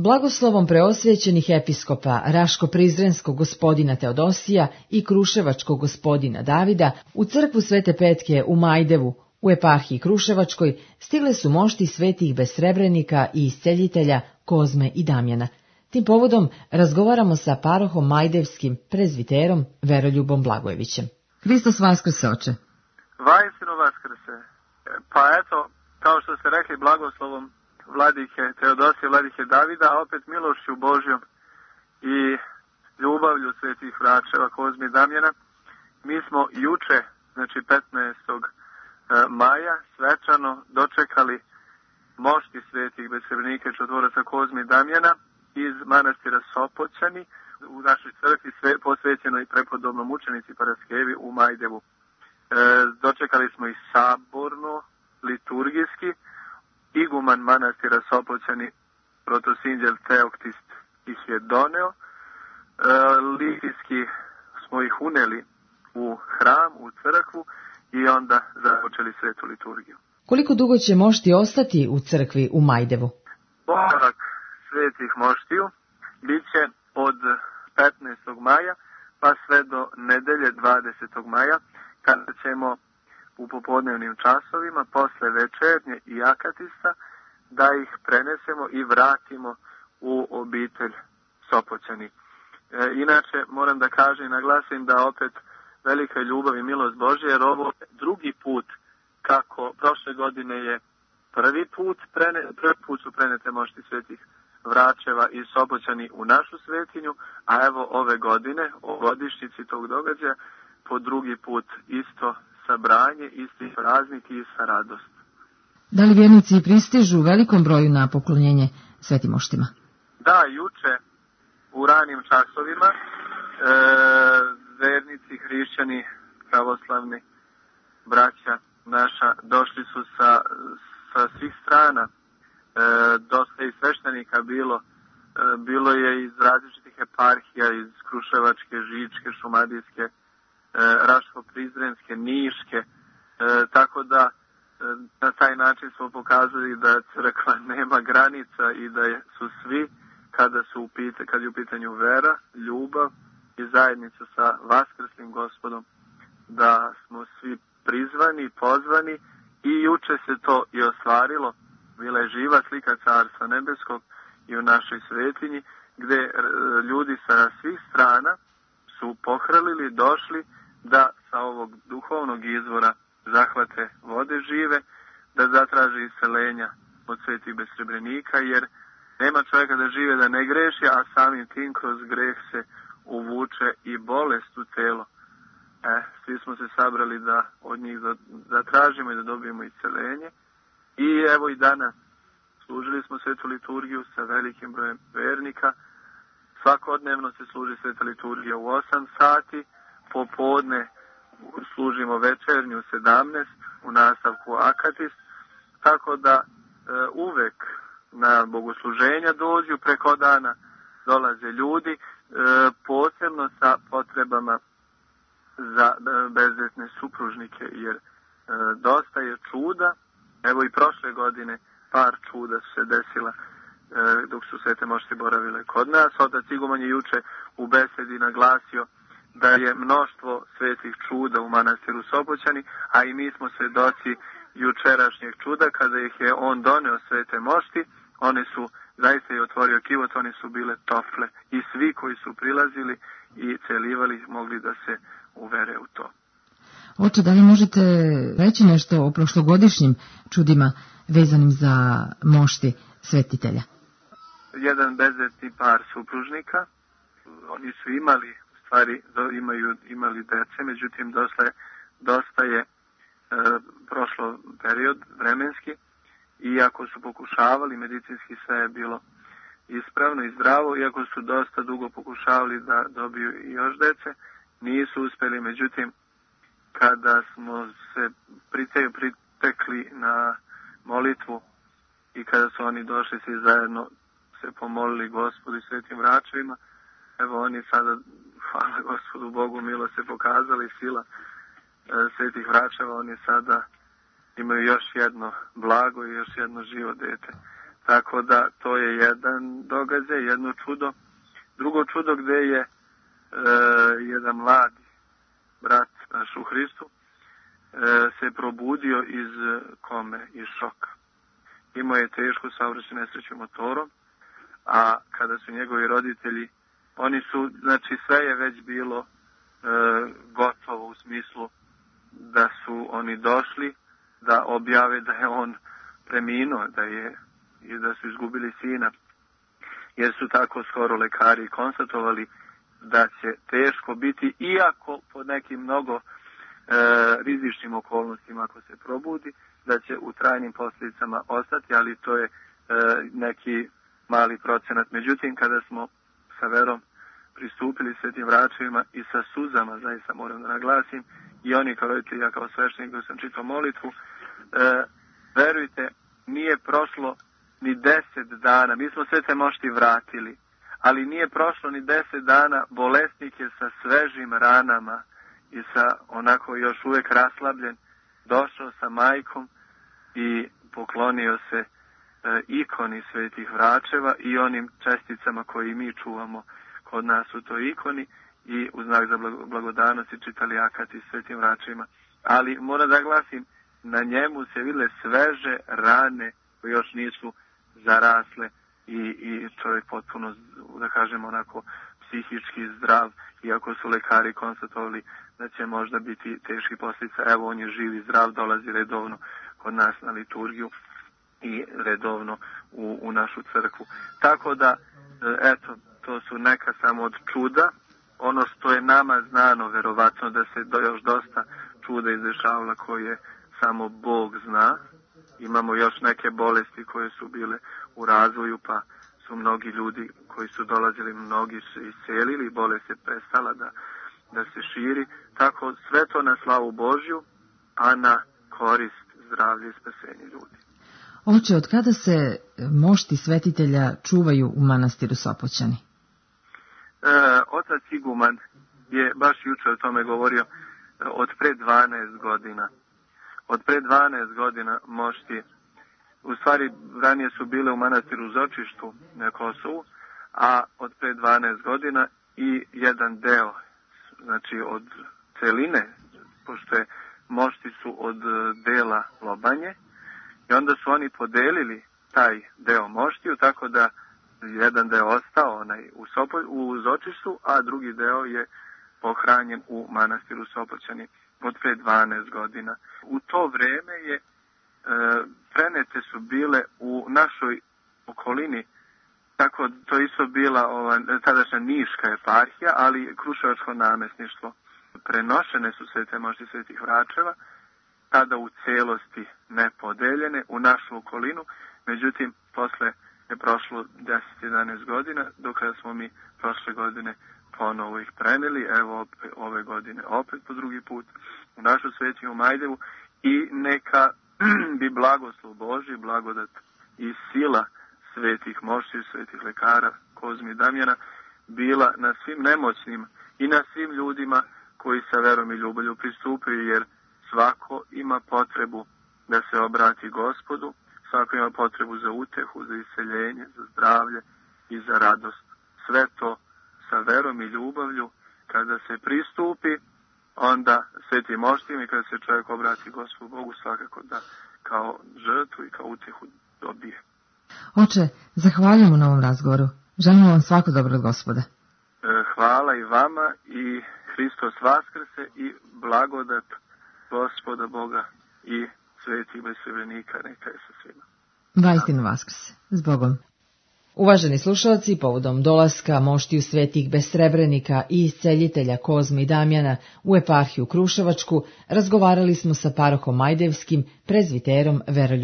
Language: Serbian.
Blagoslovom preosvećenih episkopa Raško-Prizrenskog gospodina Teodosija i Kruševačkog gospodina Davida u crkvu Svete Petke u Majdevu, u eparhiji Kruševačkoj, stigle su mošti svetih besrebrenika i isceljitelja Kozme i Damjana. Tim povodom razgovaramo sa parohom majdevskim prezviterom Veroljubom Blagojevićem. Hristos vaskrse, oče. Vajsino vaskrse. Pa eto, kao što ste rekli, blagoslovom vladike Teodosije, vladike Davida, a opet milošću Božjom i ljubavlju svetih vračeva Kozme i Damjana, mi smo juče, znači 15. maja, svečano dočekali mošti svetih besrebrenika i čudotvoraca Kozme i Damjana iz manastira Sopoćani u našoj crkvi posvećenoj prepodobnom mučenici Paraskevi u Majdevu. Dočekali smo i saborno, liturgijski. Iguman manastira Sopoćani, protosinđel Teoktist ih je doneo. Litijski smo ih uneli u hram, u crkvu i onda započeli svetu liturgiju. Koliko dugo će mošti ostati u crkvi u Majdevu? Boravak svetih moštiju bit će od 15. maja pa sve do nedelje 20. maja, kada ćemo u popodnevnim časovima, posle večernje i akatista, da ih prenesemo i vratimo u obitelj Sopoćani. Inače, moram da kažem i naglasim da opet velika ljubav i milost Božja, jer ovo je drugi put, kako prošle godine je prvi put su prenete mošti svetih vračeva i Sopoćani u našu svetinju, a evo ove godine, o godišnjici tog događaja, po drugi put isto sabranje, isti praznik i ista radost. Da li vjernici pristižu u velikom broju na poklonjenje svetim moštima? Da, juče u ranim časovima vernici, hrišćani, pravoslavni, braća naša, došli su sa svih strana. Dosta i sveštenika bilo je iz različitih eparhija, iz Kruševačke, Žičke, Šumadijske, Raško-Prizrenske, Niške, tako da na taj način smo pokazali da crkva nema granica i da su svi, kad je u pitanju vera, ljubav i zajednica sa vaskrslim Gospodom, da smo svi prizvani, pozvani i juče se to i ostvarilo. Bila je živa slika Carstva nebeskog i u našoj svetinji, gdje ljudi sa svih strana su pohrlili, došli da sa ovog duhovnog izvora zahvate vode žive, da zatraže isceljenja od svetih besrebrenika, jer nema čovjeka da žive da ne greši, a samim tim kroz greh se uvuče i bolest u telo. Svi smo se sabrali da od njih zatražimo i da dobijemo isceljenje. I evo i danas služili smo svetu liturgiju sa velikim brojem vernika. Svakodnevno se služi sveta liturgija u 8 sati, popodne služimo večernju u 17, u nastavku akatist, tako da uvek na bogosluženja dođu, preko dana dolaze ljudi, posebno sa potrebama za bezdetne supružnike, jer dosta je čuda. Evo i prošle godine par čuda su se desila dok su svete mošti boravile kod nas. Otac Iguman je juče u besedi naglasio da je mnoštvo svetih čuda u manastiru Sopoćani, a i mi smo svedoci jučerašnjeg čuda kada ih je on doneo svete mošti. One su zaista i otvorio kivot, one su bile tople i svi koji su prilazili i celivali mogli da se uvere u to. Oče, da li možete reći nešto o prošlogodišnjim čudima vezanim za mošti svetitelja? Jedan bezdetni par supružnika, oni su imali dece, međutim dosta je prošlo period vremenski, iako su pokušavali, medicinski sve je bilo ispravno i zdravo, iako su dosta dugo pokušavali da dobiju i još dece, nisu uspjeli. Međutim, kada smo se pritekli na molitvu i kada su oni došli svi zajedno se pomolili Gospodu i svetim vračevima, evo oni sada, hvala Gospodu Bogu, milo se pokazali, sila svetih vračeva, oni sada imaju još jedno blago i još jedno živo dete. Tako da to je jedan događaj, jedno čudo. Drugo čudo gde je jedan mladi brat naš u Hristu se probudio iz kome, iz šoka. Imao je tešku saobraćajnu nesreću motorom, a kada su njegovi roditelji, oni su, znači sve je već bilo gotovo u smislu da su oni došli da objave da je on preminuo, i da su izgubili sina, jer su tako skoro lekari konstatovali da će teško biti, iako pod nekim mnogo rizičnim okolnostima ako se probudi, da će u trajnim posljedicama ostati, ali to je neki mali procenat. Međutim, kada smo sa verom pristupili svetim vračevima i sa suzama, zaista moram da naglasim, i oni kao roditelji, ja kao sveštenik koji sam čitao molitvu, verujte, nije prošlo ni 10 dana, mi smo sve te mošti vratili, ali nije prošlo ni 10 dana, bolesnik je sa svežim ranama i sa onako još uvijek raslabljen, došao sa majkom i poklonio se ikoni svetih vračeva i onim česticama koji mi čuvamo kod nas u toj ikoni i u znak za blagodanost i čitali akati svetim vračevima. Ali moram da glasim, na njemu se vidjele sveže rane koje još nisu zarasle i čovjek potpuno, da kažem, onako psihički zdrav, iako su lekari konstatovali da će možda biti teški posljedica. Evo, on je živ i zdrav, dolazi redovno kod nas na liturgiju i redovno u našu crkvu. Tako da, eto, to su neka samo od čuda. Ono što je nama znano, verovatno da se još dosta čuda izdešavala koje samo Bog zna. Imamo još neke bolesti koje su bile u razvoju, pa su mnogi ljudi koji su dolazili, mnogi se iscelili, bolest je prestala da se širi. Tako sve to na slavu Božju, a na korist zdravlja i spasenja ljudi. Oče, od kada se mošti svetitelja čuvaju u manastiru Sopoćani? Otac Iguman je baš jučer o tome govorio, od pre 12 godina. Od pre 12 godina mošti, u stvari ranije su bile u manastiru Zočištu na Kosovu, a od pre 12 godina i jedan deo, znači od celine, pošto je mošti su od dela Lobanje, i onda su oni podelili taj deo moštiju, tako da jedan deo ostao u Zočištu, a drugi deo je pohranjen u manastiru Sopoćani od pre 12 godina. U to vreme je prenete su bile u našoj okolini, tako to isto bila tadašnja Niška eparhija, ali Kruševačko namesništvo. Prenošene su sve te mošti svetih vračeva, tada u celosti nepodeljene u našu okolinu, međutim posle je prošlo 10-11 godina, dok smo mi prošle godine ponovo ih preneli, evo ove godine opet po drugi put u našu svetinju Majdevu, i neka bi blagoslov Božji, blagodat i sila svetih mošti, svetih lekara Kozmi i Damjana bila na svim nemoćnim i na svim ljudima koji sa verom i ljubavlju pristupaju, jer svako ima potrebu da se obrati Gospodu, svako ima potrebu za utehu, za iseljenje, za zdravlje i za radost. Sve to sa verom i ljubavlju, kada se pristupi, onda svetim moštima i kada se čovjek obrati Gospodu Bogu, svakako da kao žrtvu i kao utehu dobije. Oče, zahvaljujemo na ovom razgovoru. Želimo vam svako dobro od Gospoda. Hvala i vama i Hristos vaskrse i blagodat Gospoda Boga i svetih besrebrnika neka je sa svima. Vaistinu vaskrse. S Bogom. Uvaženi slušalci, povodom dolaska moštiju svetih besrebrenika i isceljitelja Kozme i Damjana u eparhiju Kruševačku, razgovarali smo sa parohom Majdevskim, prezviterom Veroljubivom